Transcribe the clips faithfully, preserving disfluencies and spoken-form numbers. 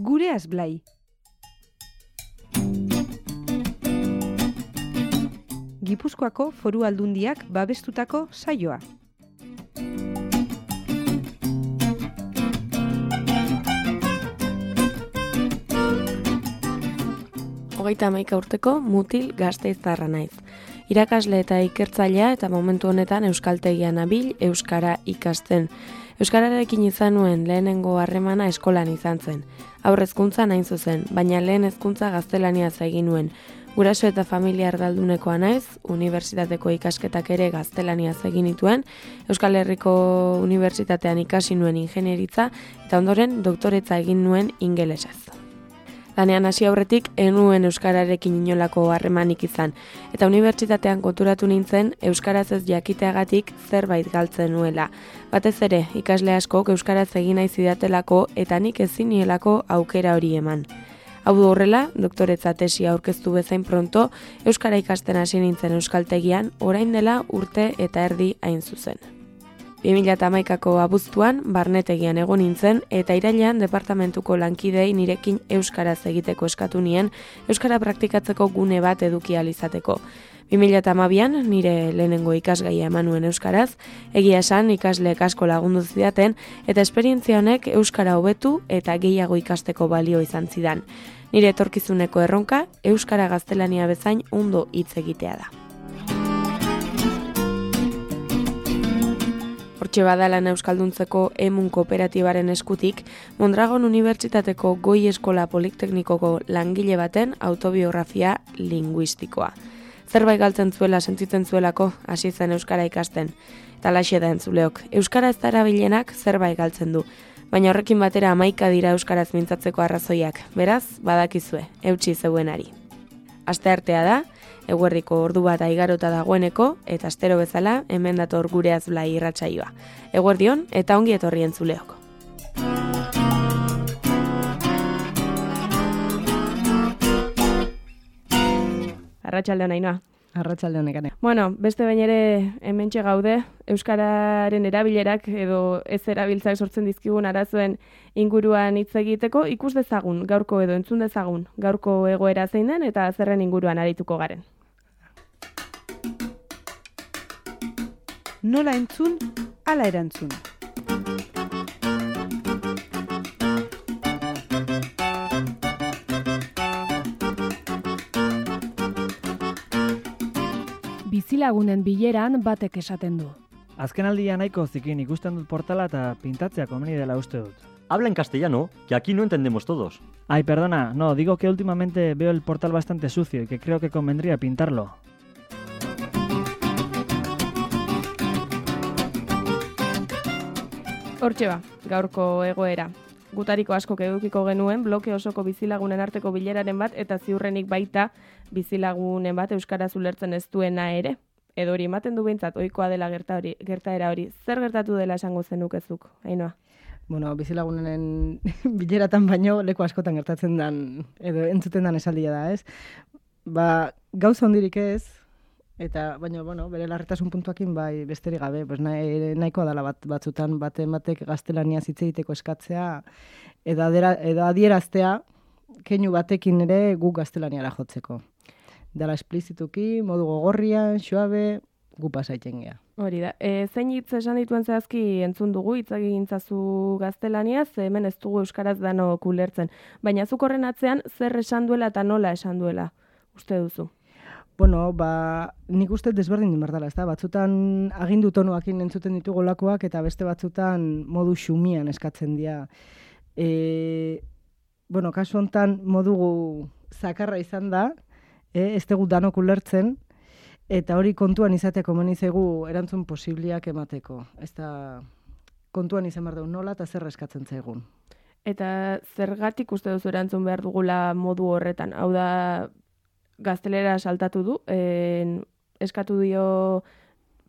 Gureaz Blai. Gipuzkoako Foru Aldundiak babestutako saioa. Hogeita hamaika urteko mutil gasteiztarra naiz. Irakasle eta ikertzailea eta momentu honetan euskaltegian nabil euskara ikasten. Euskararekin izan nuen lehenengo harremana eskolan izan zen. Haur hezkuntzan hain zuzen, baina lehen hezkuntza gaztelaniaz egin nuen. Guraso eta familia erdaldunekoa naiz, unibertsitateko ikasketak ere gaztelaniaz egin nituen, Euskal Herriko Unibertsitatean ikasi nuen ingenieritza eta ondoren doktoretza egin nuen ingelesez. Lanean hasi aurretik enuen euskararekin inolako harremanik izan, eta unibertsitatean konturatu nintzen euskaraz ez jakiteagatik zerbait galtzen nuela. Batez ere, ikasle askok euskaraz egin nahi zidatelako eta nik ezin nielako aukera hori eman. Hau du horrela, doktoretza tesia aurkeztu bezain pronto, euskara ikasten hasi nintzen euskaltegian, orain dela urte eta erdi hain zuzen. bi mila hamaikako abuztuan barnetegian egon nintzen eta irailean departamentuko lankidei nirekin euskaraz egiteko eskatu nien euskara praktikatzeko gune bat eduki ahal izateko. bi mila hamabian nire lehenengo ikasgaia eman nuen euskaraz, egia esan ikasleek asko lagundu zidaten eta esperientzia honek euskara hobetu eta gehiago ikasteko balio izan zidan. Nire etorkizuneko erronka euskara gaztelania bezain ondo hitz egitea da. Hortxe badalan euskalduntzeko emun kooperatibaren eskutik, Mondragon Unibertsitateko Goi Eskola Politeknikoko langile baten autobiografia linguistikoa. Zerbait galtzen zuela sentitzen zuelako hasi zen euskara ikasten. Eta laxe da entzuleok, euskara ez da erabilenak zerbait galtzen du. Baina horrekin batera hamaika dira euskaraz mintzatzeko arrazoiak. Beraz, badakizue, eutsi zeuenari. Asteartea da, eguerdiko ordu bat aigarota dagoeneko, eta astero bezala, hemen dator Gureaz Blai irratsaioa. Eguerdion eta ongi etorri entzuleok. Arratsaldeon Ainhoa. Arratsaldeon Nekane. Bueno, beste behin ere hementxe gaude, euskararen erabilerak edo ez erabiltzak sortzen dizkigun arazoen inguruan hitz egiteko, ikus dezagun, gaurko edo entzun dezagun, gaurko egoera zein den eta zerren inguruan arituko garen. Nola entzun, ala erantzun. Bizilagunen bileran batek esaten du. Azkenaldia nahiko zikin ikusten dut portala eta pintatzea komeni dela uste dut. Habla en castellano, que aquí no entendemos todos. Ay, perdona, no, digo que últimamente veo el portal bastante sucio y que creo que convendría pintarlo. Hortxe ba, gaurko egoera. Gutariko askok edukiko genuen bloke osoko bizilagunen arteko bileraren bat eta ziurrenik baita bizilagunen bat euskaraz ulertzen ez duena ere. Edo hori ematen du behintzat ohikoa dela gerta hori, gertaera hori. Zer gertatu dela esango zenukezuk, Ainhoa? Bueno, bizilagunen bileratan baino leku askotan gertatzen dan edo entzuten dan esaldia da, ez? Ba, gauza hondirik ez, eta baina, bueno, bere larritasun puntuakin bai besterik gabe, pues nahi, nahikoa dela bat, batzutan bate batek gaztelaniaz hitz egiteko eskatzea edo, adera, edo adieraztea keinu batekin ere guk gaztelaniara jotzeko. Dela esplizituki, modu gogorrian, suabe, gu pasaiten gea. Hori da. E, zein hitz esan dituen zehazki entzun dugu, hitz egin zazu gaztelaniaz, hemen ez dugu euskaraz dano kulertzen. Baina zuk horren atzean zer esan duela eta nola esan duela, uste duzu? Bueno, ba, nik uste desberdin din berdala, ez da? Batzutan agindu tonuakin entzuten ditugu lakoak eta beste batzutan modu xumian eskatzen dira. E, bueno, kasu hontan modu zakarra izan da, e, ez dugu danok ulertzen, eta hori kontuan izateko menizegu erantzun posibliak emateko. Ez da kontuan izan behar dugu nola eta zer eskatzen zaigun. Eta zergatik uste duzu erantzun behar dugula modu horretan? Hau da, gaztelera saltatu du, en, eskatu dio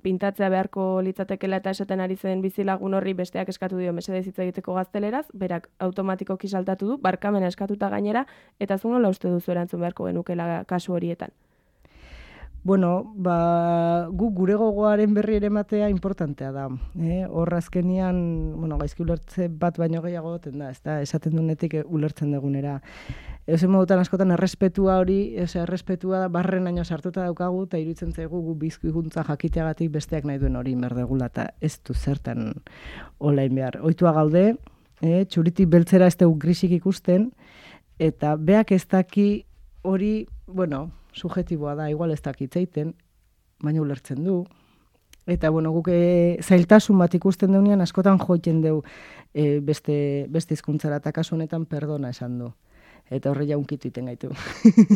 pintatzea beharko litzatekela eta esaten ari zen bizilagun horri besteak eskatu dio mesedez hitz egiteko gazteleraz, berak automatikoki saltatu du, barkamena eskatuta gainera, eta zu nola uste duzu erantzun beharko genukela kasu horietan? Bueno, ba, gu gure gogoaren berri ere ematea importantea da. Eh? Hor azkenian, bueno, gaizki ulertze bat baino gehiago goten da, ez da, esaten dunetik ulertzen dugunera. Eusen modutan askotan errespetua hori, ose, errespetua da, barren aino sartuta daukagu, eta iruditzen zaigu gu bizkuikuntza jakiteagatik besteak nahi duen hori merdegula, eta ez du zertan olain behar. Oitua gaude, eh? Txuritik beltzera ez dugu grisik ikusten, eta beak ez daki hori, bueno, subjetiboa da, igual ez dakitzeiten, baina ulertzen du. Eta, bueno, guk e, zailtasun bat ikusten deunean, askotan joiten deu e, beste, beste hizkuntzara, eta kasu honetan perdona esan du. Eta horre jaunkitu iten gaitu.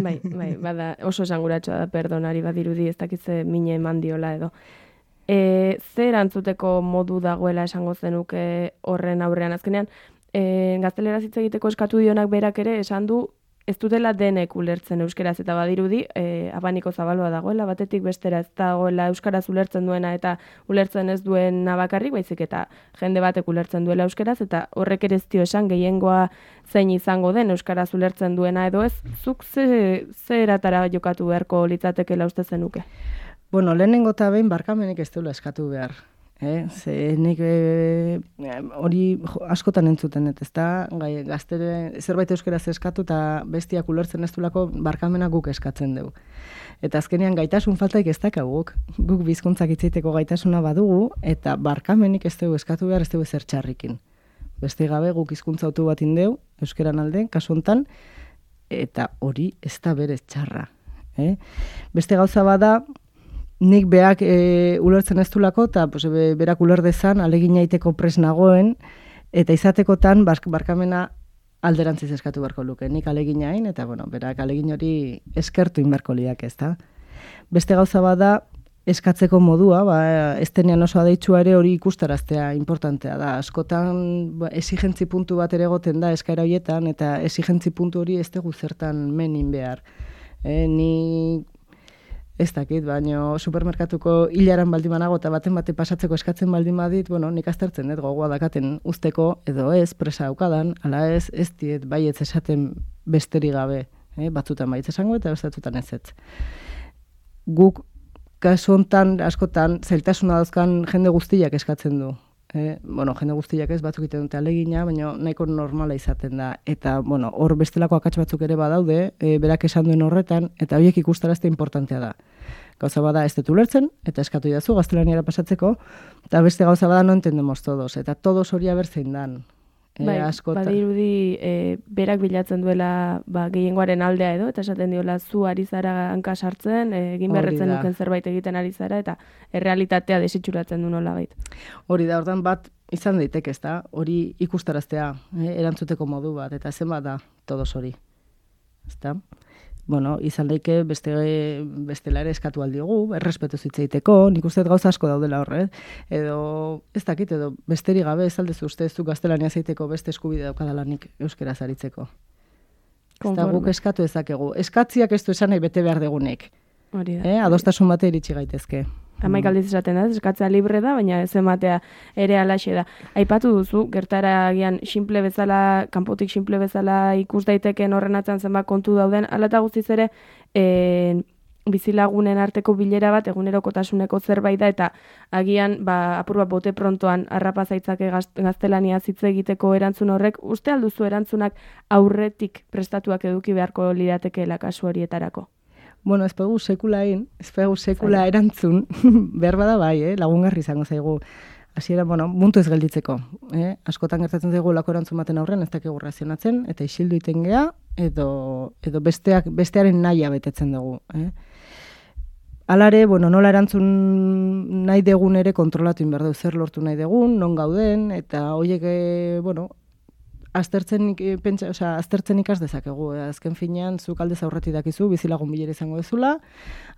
Bai, bai, bada oso esanguratxoa da perdonari badirudi, ez dakitze mine eman diola edo. E, zer erantzuteko modu dagoela esango zenuke horren aurrean? Azkenean, e, gazteleraz hitz egiteko eskatu dionak berak ere esan du ez dutela denek ulertzen euskeraz, eta badirudi e, abaniko zabalua dagoela, batetik bestera ez dagoela euskaraz ulertzen duena eta ulertzen ez duena bakarrik, baizik eta jende batek ulertzen duela euskeraz, eta horrek ere ez dio esan gehiengoa zein izango den euskaraz ulertzen duena edo ez, zuk ze, ze eratara jokatu beharko litzatekela uste zenuke? Bueno, lehenengo eta behin barkamenik ez duela eskatu behar. Eh? Ze nik hori e, askotan entzuten, ez da, gai, gaztere zerbait euskeraz eskatu eta bestiak ulertzen ez duelako barkamena guk eskatzen dugu. Eta azkenean gaitasun faltaik ez dakaguk, guk bizkuntzak itzaiteko gaitasuna badugu, eta barkamenik ez dugu eskatu behar ez dugu ezer txarrikin. Beste gabe guk hizkuntza autu bat indeu, euskeran alde, kasu hontan, eta hori ez da berez txarra. Eh? Beste gauza bada, nik beak e, ulertzen ez dulako, eta pues, be, berak uler dezan, alegin aiteko pres nagoen, eta izatekotan bark, barkamena alderantziz eskatu beharko luke. Nik alegin hain, eta bueno, berak alegin hori eskertu inbarko liak ez da. Beste gauza bada, eskatzeko modua, ba, ez denean oso adeitsua ere hori ikustaraztea importantea da. Askotan ba, esigentzi puntu bat ere goten da eskaera horietan, eta esigentzi puntu hori ez dugu zertan menin behar. E, ni ez dakit, baina supermerkatuko hilaran baldin banago eta baten bate pasatzeko eskatzen baldin badit, bueno, nik aztertzen dut gogoa dakaten usteko, edo ez, presa daukadan, ala ez, ez diet baietz esaten besterik gabe, eh? Batzutan baietz esango eta bestatutan ez ez. Guk, kasu hontan, askotan, zailtasuna dauzkan jende guztiak eskatzen du. Eh? Bueno, jende guztiak ez, batzuk iten dute alegina, baina nahiko normala izaten da. Eta, bueno, hor bestelako akats batzuk ere badaude, e, berak esan duen horretan, eta horiek ikustarazte importantea da. Gauza bada ez dut ulertzen, eta eskatu idazu gaztelaniara pasatzeko, eta beste gauza bada no entendemos todos, eta todos hori abertzein dan. E, bai, askota... badirudi e, berak bilatzen duela ba, gehiengoaren aldea edo, eta esaten diola zu ari zara hanka sartzen, e, egin berretzen duken zerbait egiten ari zara, eta errealitatea desitxuratzen du nolabait. Hori da, ordan bat izan daiteke, ez da, hori ikustaraztea, eh, erantzuteko modu bat, eta zenbat da todos hori. Ez da? Bueno, izan daike beste, bestela ere eskatu aldiogu, errespetu zitzeiteko, nik uste gauza asko daudela horre, edo ez dakit, edo besterik gabe ez aldezu uste ez du gaztelania zeiteko beste eskubide daukadalanik euskeraz aritzeko. Ez da guk eskatu ezakegu. Eskatziak ez du esan nahi bete behar degunek. Hori da. Eh? Adostasun bate iritsi gaitezke. Hamaik aldiz esaten da, eskatzea libre da, baina ez ematea ere alaxe da. Aipatu duzu, gertara agian simple bezala, kanpotik simple bezala ikus daiteken horren atzan zenbat kontu dauden, hala eta guztiz ere e, bizilagunen arteko bilera bat egunerokotasuneko zerbait da, eta agian ba, apur bat bote prontoan harrapa zaitzake gaztelania hitz egiteko erantzun horrek, uste alduzu erantzunak aurretik prestatuak eduki beharko liratekeela kasu horietarako? Bueno, ez pegu sekula egin, ez pegu sekula Zai. Erantzun, behar bada bai, eh? Lagungarri izango zaigu. Hasiera, bueno, muntu ez gelditzeko. Eh? Askotan gertatzen zaigu lako erantzun baten aurren, ez dakegu razionatzen, eta isildu iten gea, edo, edo besteak, bestearen nahia betetzen dugu. Eh? Alare, bueno, nola erantzun nahi degun ere kontrolatu inberdu, zer lortu nahi degun, non gauden, eta horiek, eh, bueno, aztertzen, pentsa, osea, aztertzen ikas dezakegu. Azken finean, zuk aldez aurreti dakizu, bizilagun bilera izango dezula,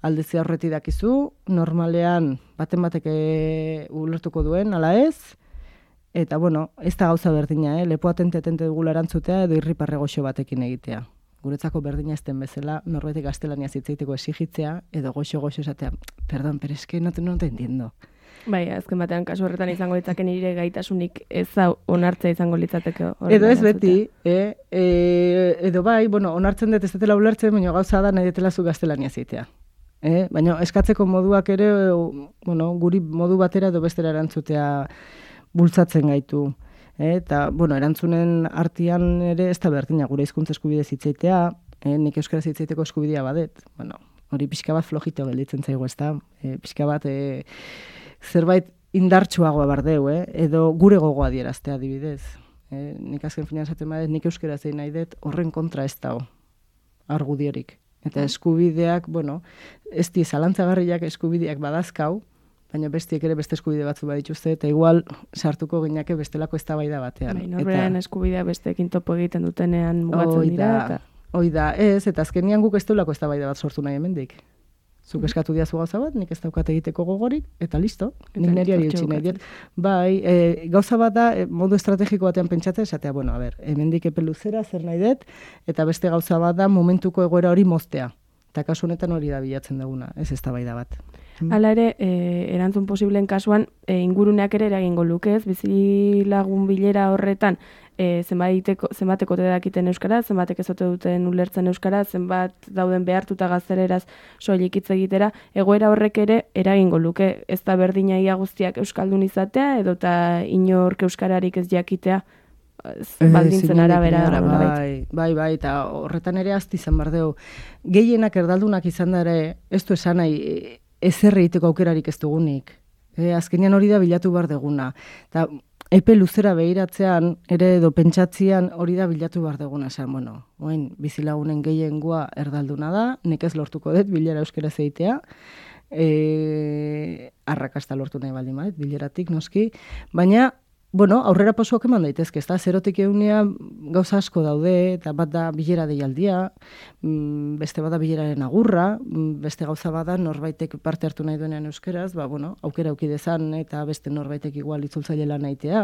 aldez aurreti dakizu, normalean baten batek ulertuko duen, ala ez, eta bueno, ez da gauza berdina, eh? Lepo atente-atente dugula erantzutea edo irriparre goxo batekin egitea. Guretzako berdina ez den bezala, norbaitek gaztelania zitzeiteko exigitzea, edo goxo-goxo esatea, perdón, pero es que no te, no te entiendo. Bai, azken batean kasu horretan izango litzake nire gaitasunik ez onartzea izango litzateke. Edo ez beti, eh? e, edo bai, bueno, onartzen dut ez dutela ulertzen, baina gauza da nahi detela zu gaztelania zitea. Eh? Baina eskatzeko moduak ere, bueno, guri modu batera edo bestera erantzutea bultzatzen gaitu. Eh? Eta, bueno, erantzunen artean ere ez da berdina gure hizkuntza eskubide zitzaitea, eh? Nik euskaraz hitzaiteko eskubidea badet. Bueno, hori pixka bat flojito gelditzen zaigu, ez da? E, pixka bat e, zerbait indartsuagoa bardeu, eh? Edo gure gogoa dieraztea adibidez. E, nik azken finean esaten badet, nik euskaraz egin nahi dut, horren kontra ez dago argudiorik. Eta eskubideak, bueno, ez di zalantzagarriak eskubideak badazkau, baina bestiek ere beste eskubide batzu badituzte, eta igual sartuko gineke bestelako eztabaida batean. Bai, norberaren eskubidea besteekin topo egiten dutenean mugatzen dira. Eta... Hoi da, ez, eta azkenian guk ez deulako eztabaida bat sortu nahi hemendik. Zuk eskatu diazu gauza bat, nik ez daukat egiteko gogorik, eta listo, nik neriari utzi nahi diet. Bai, e, gauza bat da, e, modu estrategiko batean pentsatzen, esatea, bueno, a ber, hemendik epe luzera, zer nahi dut, eta beste gauza bat da, momentuko egoera hori moztea. Eta kasu honetan hori da bilatzen duguna, ez eztabaida bat. Hala ere, e, erantzun posibleen kasuan, e, inguruneak ere eragingo lukez, bizilagun bilera horretan, e, zenbateko, zenbateko te dakiten euskara, zenbatek ezote duten ulertzen euskara, zenbat dauden behartuta gazteleraz soilik hitz egitera, egoera horrek ere eragingo luke, ez da berdina ia guztiak euskaldun izatea, edota inork euskararik ez jakitea, baldintzen arabera. Bai, bai, bai, eta horretan ere azti izan bardeu. Gehienak erdaldunak izan da ere, ez du esan nahi, ezerre egiteko aukerarik ez dugunik. E, azkenean hori da bilatu behar deguna. Eta epe luzera behiratzean, ere edo pentsatzean hori da bilatu behar deguna. Esan, bueno, oen, bizilagunen gehiengoa erdalduna da, nik ez lortuko dut bilera euskera zeitea, e, arrakasta lortu nahi baldin badet, bileratik noski, baina bueno, aurrera pausoak eman daitezke, ezta? Zerotik eunea gauza asko daude, eta bat da bilera deialdia, beste bat da bileraren agurra, beste gauza bada norbaitek parte hartu nahi duenean euskeraz, ba, bueno, aukera auki dezan, eta beste norbaitek igual itzultzaile lan nahitea.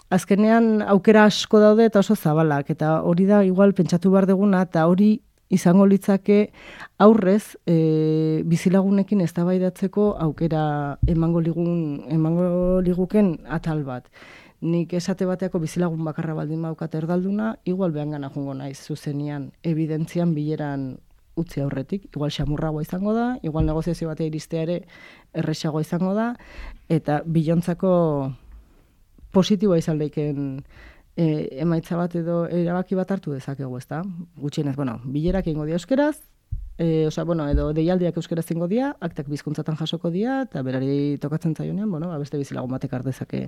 Azkenean aukera asko daude eta oso zabalak, eta hori da igual pentsatu behar deguna, eta hori izango litzake aurrez e, bizilagunekin eztabaidatzeko aukera emango ligun emango liguken atal bat. Nik esate bateako bizilagun bakarra baldin baukat erdalduna, igual behangana joango naiz zuzenian, evidentzian bileran utzi aurretik, igual xamurragoa izango da, igual negoziazio batea iristea ere erresagoa izango da, eta bilontzako positiboa izan leiken E, emaitza bat edo erabaki bat hartu dezakegu, ezta? Gutxienez, bueno, bilerak egingo dia euskeraz, e, osea, bueno, edo deialdiak euskeraz egingo dia, aktak bizkuntzatan jasoko dia, eta berari tokatzen zaionean, bueno, beste bizilagun batek har dezake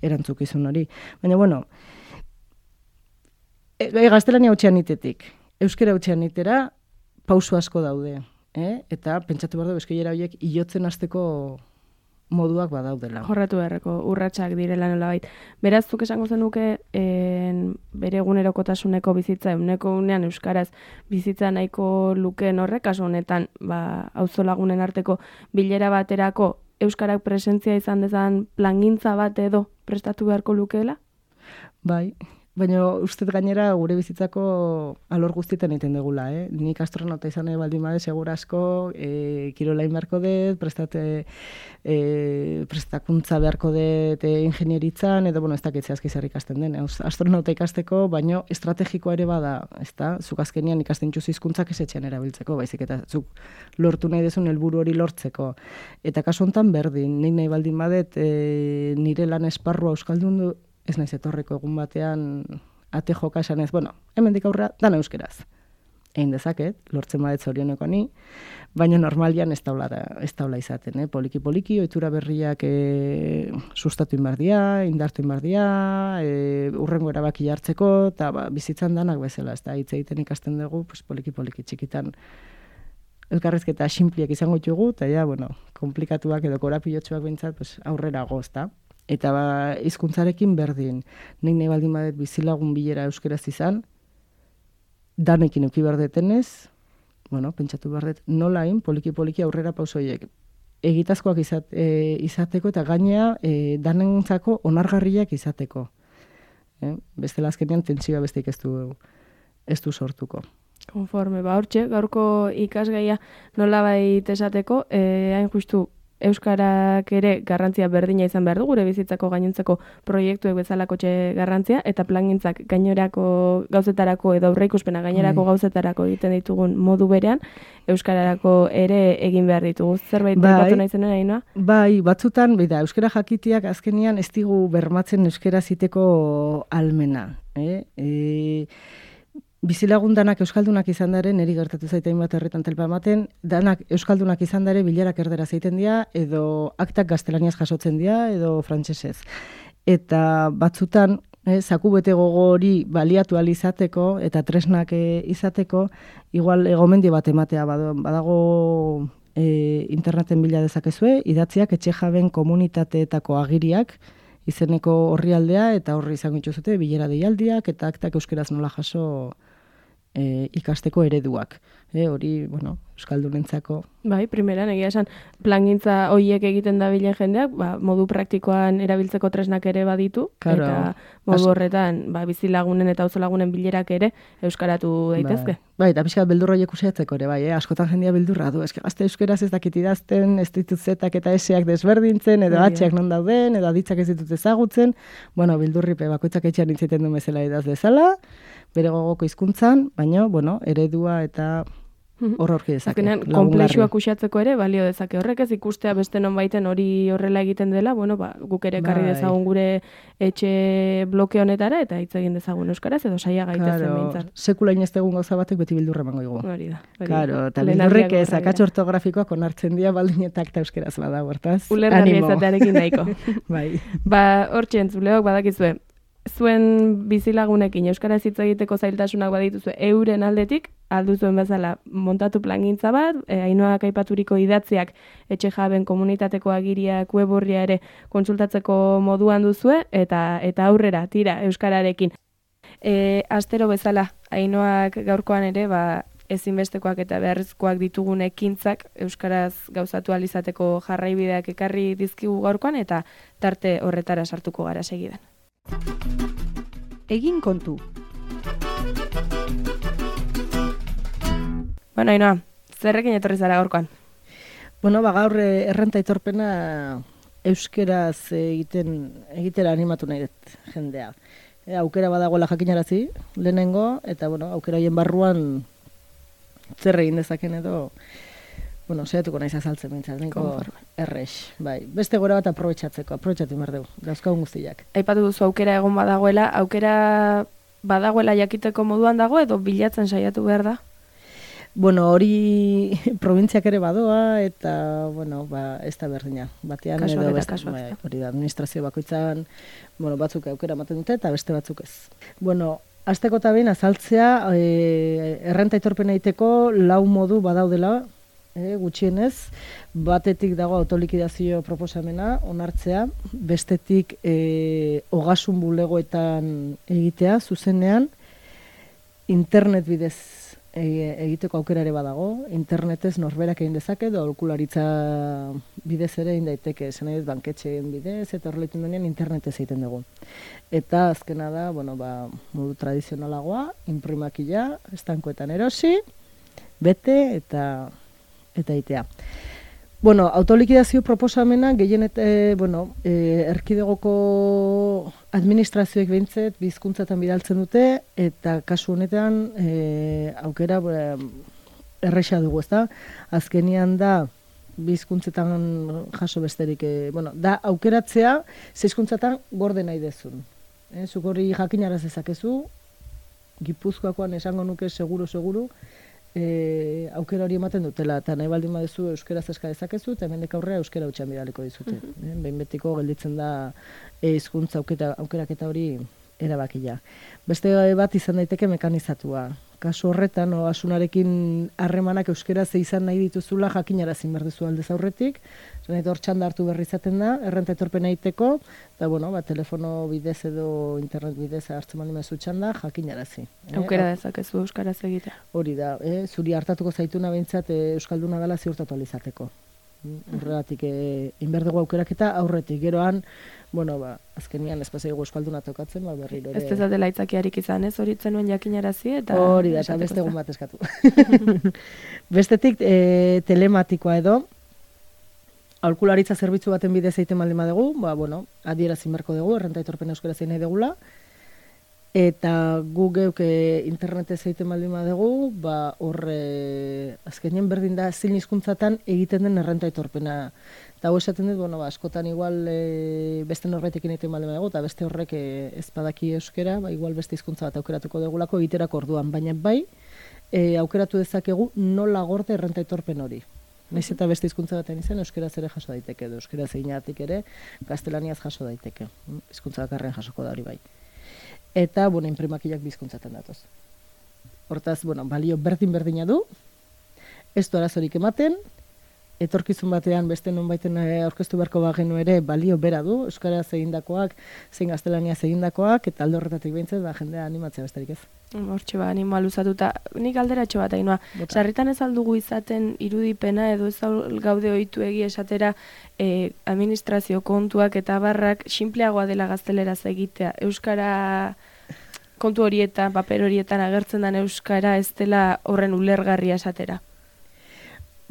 erantzukizun hori. Baina, bueno, e, e, gaztelania hutxean itetik, euskera hutxean itera, pauso asko daude, eh? Eta pentsatu behar du, eskoiera horiek hilotzen hasteko moduak badaudela. Jorratu beharreko urratsak direla nolabait. Beraz, zuk esango zenuke en, bere egunerokotasuneko bizitza, eguneko unean euskaraz bizitza nahiko lukeen horrek, kasu honetan, ba, auzolagunen arteko bilera baterako euskarak presentzia izan dezan plangintza bat edo prestatu beharko lukeela? Bai. Baina uste gainera gure bizitzako alor guztietan egiten dugula, eh? Nik astronauta izan nahi baldin bade, segura asko, e, kirolain beharko dut, prestate, e, prestakuntza beharko dut e, ingenieritzan, edo, bueno, ez dakitzea azkizar ikasten den. Astronauta ikasteko, baino estrategikoa ere bada, ez da? Zuk azkenian ikasten txuzi hizkuntzak esetxean erabiltzeko, baizik eta zuk lortu nahi dezun helburu hori lortzeko. Eta kasu honetan berdin, nik nahi baldin badet, e, nire lan esparrua euskaldun du, ez naiz etorreko egun batean ate joka esan ez, bueno, hemendik aurrera dana euskeraz. Egin dezaket, lortzen badet zorioneko ni, baina normalian ez daula, ez daula izaten, eh? Poliki-poliki, ohitura berriak e, sustatu inbardia, indartu inbardia, e, urrengo erabaki hartzeko, eta ba, bizitzan danak bezala, ez da, hitz egiten ikasten dugu, pues, poliki-poliki txikitan elkarrezketa sinpliak izango ditugu, eta ja, bueno, komplikatuak edo korapilotxuak bintzat, pues, aurrera gozta. Eta ba, hizkuntzarekin berdin, nik nahi baldin badet bizilagun bilera euskeraz izan, danekin euki behar detenez, bueno, pentsatu behar dut, nolain, poliki-poliki aurrera pausoiek egitazkoak izat, e, izateko eta gainea e, danentzako onargarriak izateko. E, bestela azkenean tentsioa besteik ez du, ez du sortuko. Konforme, ba hortxe, gaurko ikasgaia nolabait esateko, e, hain justu, euskarak ere garrantzia berdina izan behar du, gure bizitzako gainontzeko proiektuek bezalakotxe garrantzia, eta plangintzak gainerako gauzetarako edo aurreikuspena gainerako gauzetarako egiten ditugun modu berean, euskararako ere egin behar ditugu. Zerbait aipatu nahi zenuen, Ainhoa? Bai, batzutan, bida, euskara jakitiak azkenian ez digu bermatzen euskara ziteko almena. Eh? E, bizilagun danak euskaldunak izan daren, niri gertatu zaitein bat herritan telpa ematen, danak euskaldunak izan dare bilerak erdera zeiten dira, edo aktak gaztelaniaz jasotzen dira, edo frantsesez. Eta batzutan, eh, zaku bete gogo hori baliatu ahal izateko, eta tresnak eh, izateko, igual egomendi bat ematea badago, badago e, interneten bila dezakezue, idatziak etxe jaben komunitateetako agiriak, izeneko orrialdea, eta horri izango dituzute bilera deialdiak, eta aktak euskeraz nola jaso e, ikasteko ereduak. E, hori, bueno, euskaldunentzako. Bai, primeran, egia esan, plangintza hoiek egiten dabilen jendeak, ba, modu praktikoan erabiltzeko tresnak ere baditu, Claro. eta modu horretan, ba, bizilagunen eta auzolagunen bilerak ere euskaratu daitezke. Bai, eta pixka beldurra horiek usatzeko ere, bai, eh? Askotan jendia beldurra du, eske gazte euskeraz ez dakit idazten, ez ditut zetak eta eseak desberdintzen, edo Egia. atxeak non dauden, edo aditzak ez ditut ezagutzen, bueno, beldurripe bakoitzak etxean intziten du bezala idaz dezala, bere gogoko hizkuntzan, baina, bueno, eredua eta hor horki dezake. Azkenean, lagungarri. konplexuak usatzeko ere balio dezake. Horrek ez ikustea beste nonbaiten hori horrela egiten dela, bueno, ba, guk ere ekarri Bai. dezagun gure etxe bloke honetara eta hitz egin dezagun euskaraz edo saia gaitezen Claro, behintzat. sekula inestegun gauza batek beti bildurra emango digu. Hori da. hori da. Claro, eta Lehen bildurrek argiak ez, horrela akats dira. ortografikoak onartzen dira baldin eta akta euskeraz bada, hortaz. Ulergarria Animo. izatearekin nahiko. Bai. Ba, hortxe entzuleok badakizue, zuen bizilagunekin euskaraz hitz egiteko zailtasunak badituzue euren aldetik, alduzuen bezala montatu plangintza bat, e, Ainhoak aipaturiko idatziak etxe jaben komunitateko agiriak web orria ere kontsultatzeko moduan duzue, eta eta aurrera, tira, euskararekin. E, astero bezala, Ainhoak gaurkoan ere, ba, ezinbestekoak eta beharrezkoak ditugun ekintzak euskaraz gauzatu ahal izateko jarraibideak ekarri dizkigu gaurkoan, eta tarte horretara sartuko gara segidan. Egin kontu. Bueno, Ainhoa, zerrekin etorri zara gaurkoan? Bueno, ba, gaur eh, errenta aitorpena euskeraz egiten egitera animatu nahi dut jendea. E, aukera badagoela jakinarazi, lehenengo, eta bueno, aukera hoien barruan zer egin dezaken edo, bueno, saiatuko naiz azaltzen bintzat, nahiko errex, bai. Beste gora bat aprobetxatzeko, aprobetxatu behar dugu, dauzkagun guztiak. Aipatu duzu aukera egon badagoela, aukera badagoela jakiteko moduan dago edo bilatzen saiatu behar da? Bueno, hori probintziak ere badoa, eta, bueno, ba, ez da berdina. Batean Kasuak edo eta beste, kasuak, bai, ezta? hori da, administrazio bakoitzan, bueno, batzuk aukera ematen dute, eta beste batzuk ez. Bueno, hasteko eta behin azaltzea, e, errenta aitorpena egiteko lau modu badaudela, e, gutxienez, batetik dago autolikidazio proposamena, onartzea, bestetik e, ogasun bulegoetan egitea, zuzenean, internet bidez e, egiteko aukera ere badago, internetez norberak egin dezake, edo aholkularitza bidez ere egin daiteke, esan nahi dut banketxeen bidez, eta horrela denean internetez egiten dugu. Eta azkena da, bueno, ba, modu tradizionalagoa, imprimakila, estankoetan erosi, bete eta eta itea. Bueno, autolikidazio proposamena gehienet, e, bueno, e, erkidegoko administrazioek behintzet bizkuntzatan bidaltzen dute, eta kasu honetan e, aukera e, erresa dugu, ezta? Azkenian da bizkuntzetan jaso besterik, e, bueno, da aukeratzea zeizkuntzatan gorde nahi dezun. E, zuk hori jakinaraz ezakezu, Gipuzkoakoan esango nuke seguru, seguru, E, aukera hori ematen dutela, eta nahi baldin baduzu euskeraz eska dezakezu, eta hemendik aurrera euskera hutsan bidaliko dizute. Uh-huh. e, behin betiko gelditzen da hizkuntza aukera, aukeraketa hori erabakia. Beste bat izan daiteke mekanizatua. Kasu horretan, osasunarekin harremanak euskera ze izan nahi dituzula jakinarazi behar duzu aldez aurretik, zuen hor txanda hartu berri izaten da, errenta etorpena egiteko, eta bueno, ba, telefono bidez edo internet bidez hartzen baldin baduzu txanda, jakinarazi. Aukera dezakezu euskaraz egitea. Hori da, eh? Zuri hartatuko zaituna behintzat eh, euskalduna dela ziurtatu alizateko. Horregatik eh, inberdego aukeraketa aurretik, geroan, bueno, ba, azkenian ez pasaigu euskalduna tokatzen, ba, berriro ere. Ez dezatela aitzakiarik izan, ez horitzen nuen jakinarazi eta... Hori da, eta beste egun bat eskatu. Bestetik, e, telematikoa edo, aholkularitza zerbitzu baten bidez egiten baldin badugu, ba, bueno, adierazi beharko dugu, errenta aitorpena euskaraz egin nahi dugula, eta gu geuk e, internetez egiten baldin badugu, ba, hor e, azkenien berdin da zein hizkuntzatan egiten den errenta aitorpena. Eta hau esaten dut, bueno, ba, askotan igual e, beste norbaitekin egiten baldin badugu, eta beste horrek e, ez badaki euskera, ba, igual beste hizkuntza bat aukeratuko dugulako egiterako orduan, baina bai, e, aukeratu dezakegu nola gorde errenta aitorpen hori. Naiz eta beste hizkuntza batean izan, euskaraz ere jaso daiteke, edo euskaraz eginatik ere, gaztelaniaz jaso daiteke. Hizkuntza bakarrean jasoko da hori bai. Eta, bueno, inprimakiak bizkuntzatan datoz. Hortaz, bueno, balio berdin-berdina du, ez du arazorik ematen, etorkizun batean beste nonbaiten aurkeztu beharko bagenu ere balio bera du, euskaraz egindakoak, zein gaztelaniaz egindakoak, eta alde horretatik behintzat, ba, jendea animatzea besterik ez. Hortxe ba, animoa luzatuta. Nik alderatxo bat, Ainhoa. Sarritan ez aldugu izaten irudipena edo ez gaude ohitu egi esatera eh, administrazio kontuak eta barrak sinpleagoa dela gazteleraz egitea. Euskara kontu horietan, paper horietan agertzen den euskara ez dela horren ulergarria esatera.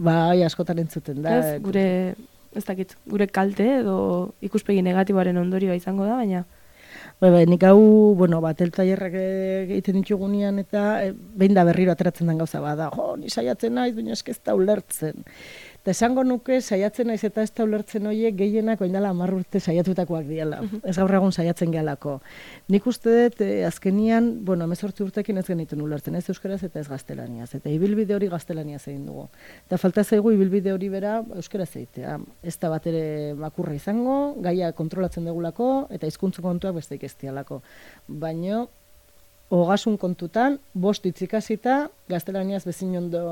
Bai, askotan entzuten da. Ez, gure, ez dakit, gure kalte edo ikuspegi negatiboaren ondorioa izango da, baina... Bai, bai, nik hau, bueno, bat, eltailerrak egiten ditugunean eta e, behin da berriro ateratzen den gauza bada. Jo, ni saiatzen naiz, baina eske ez da ulertzen. Eta esango nuke saiatzen naiz eta ez da ulertzen horiek gehienak orain dela hamar urte saiatutakoak diela. Ez gaur egun saiatzen gehalako. Nik uste dut e, azkenian, bueno, hemezortzi urtekin ez genituen ulertzen, ez euskaraz eta ez gaztelaniaz. Eta ibilbide hori gaztelaniaz egin dugu. Eta falta zaigu ibilbide hori bera euskaraz egitea. Ez da bat ere makurra izango, gaia kontrolatzen dugulako eta hizkuntza kontuak besteik ez dialako. Baina ogasun kontutan, bost itzikasita, gaztelaniaz bezin ondo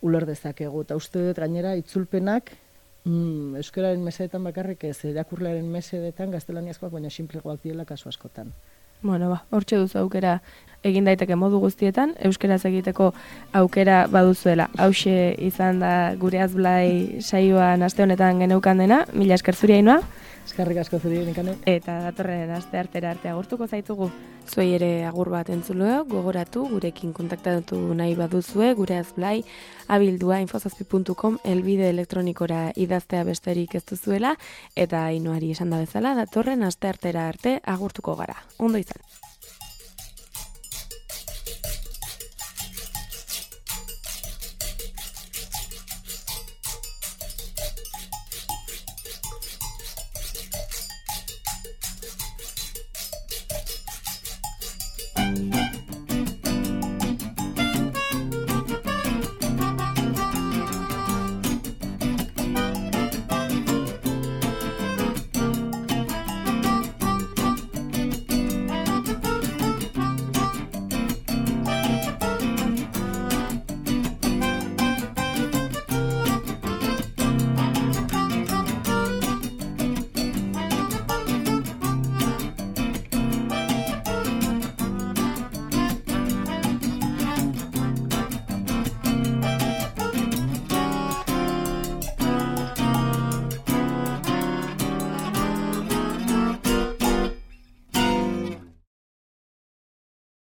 uler dezakegu. Eta uste dut gainera itzulpenak mm, euskararen mesedetan bakarrik ez, irakurlearen mesedetan gaztelaniazkoak baina sinplegoak diela kasu askotan. Bueno, ba, hortxe duzu aukera egin daiteke modu guztietan, euskaraz egiteko aukera baduzuela. Hauxe izan da gure azblai saioan aste honetan geneukan dena, mila esker zuri Ainhoa. Eskerrik asko zuri Nikane. Eta datorren aste artera arte agurtuko zaitugu. Zuei ere agur bat entzuleo, gogoratu, gurekin kontaktatu nahi baduzue, gure azblai, abildua infozazpi puntu com elbide elektronikora idaztea besterik ez duzuela, eta Ainhoari esan da bezala, datorren aste artera arte agurtuko gara. Ondo izan.